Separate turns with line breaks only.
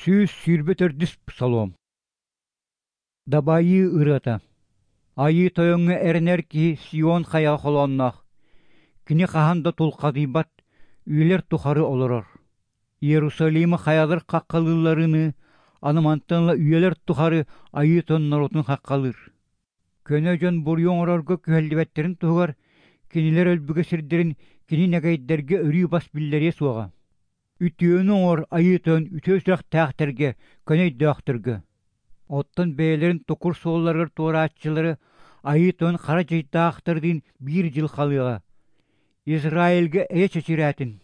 124 псалом. Дабайыы ырыата. Айыы Тойоҥҥо эрэнэр киһи Сион хайаҕа холоонноох. Кини хаһан да тулхадыйбат, үйэлэр тухары олорор. Иерусалимы хайалар хаххалыылларыныы, аны мантан ыла үйэлэр тухары Айыы Тойон норуотун хаххалыыр. Көнө дьон буруйу оҥорорго күһэллибэттэрин туһугар кинилэр өлбүгэ сирдэрин кини нэгэйдэргэ өрүү бас биллэриэ суоҕа. Үтүөнү оҥор Айыы Тойон үтүө сүрэхтээхтэргэ, көнө өйдөөхтөргө. Оттон бэйэлэрин токур суолларыгар туорааччылары Айыы Тойон хара дьайдаахтардыын биир дьыл халыаҕа. Израильга эйэ чэчирээтин.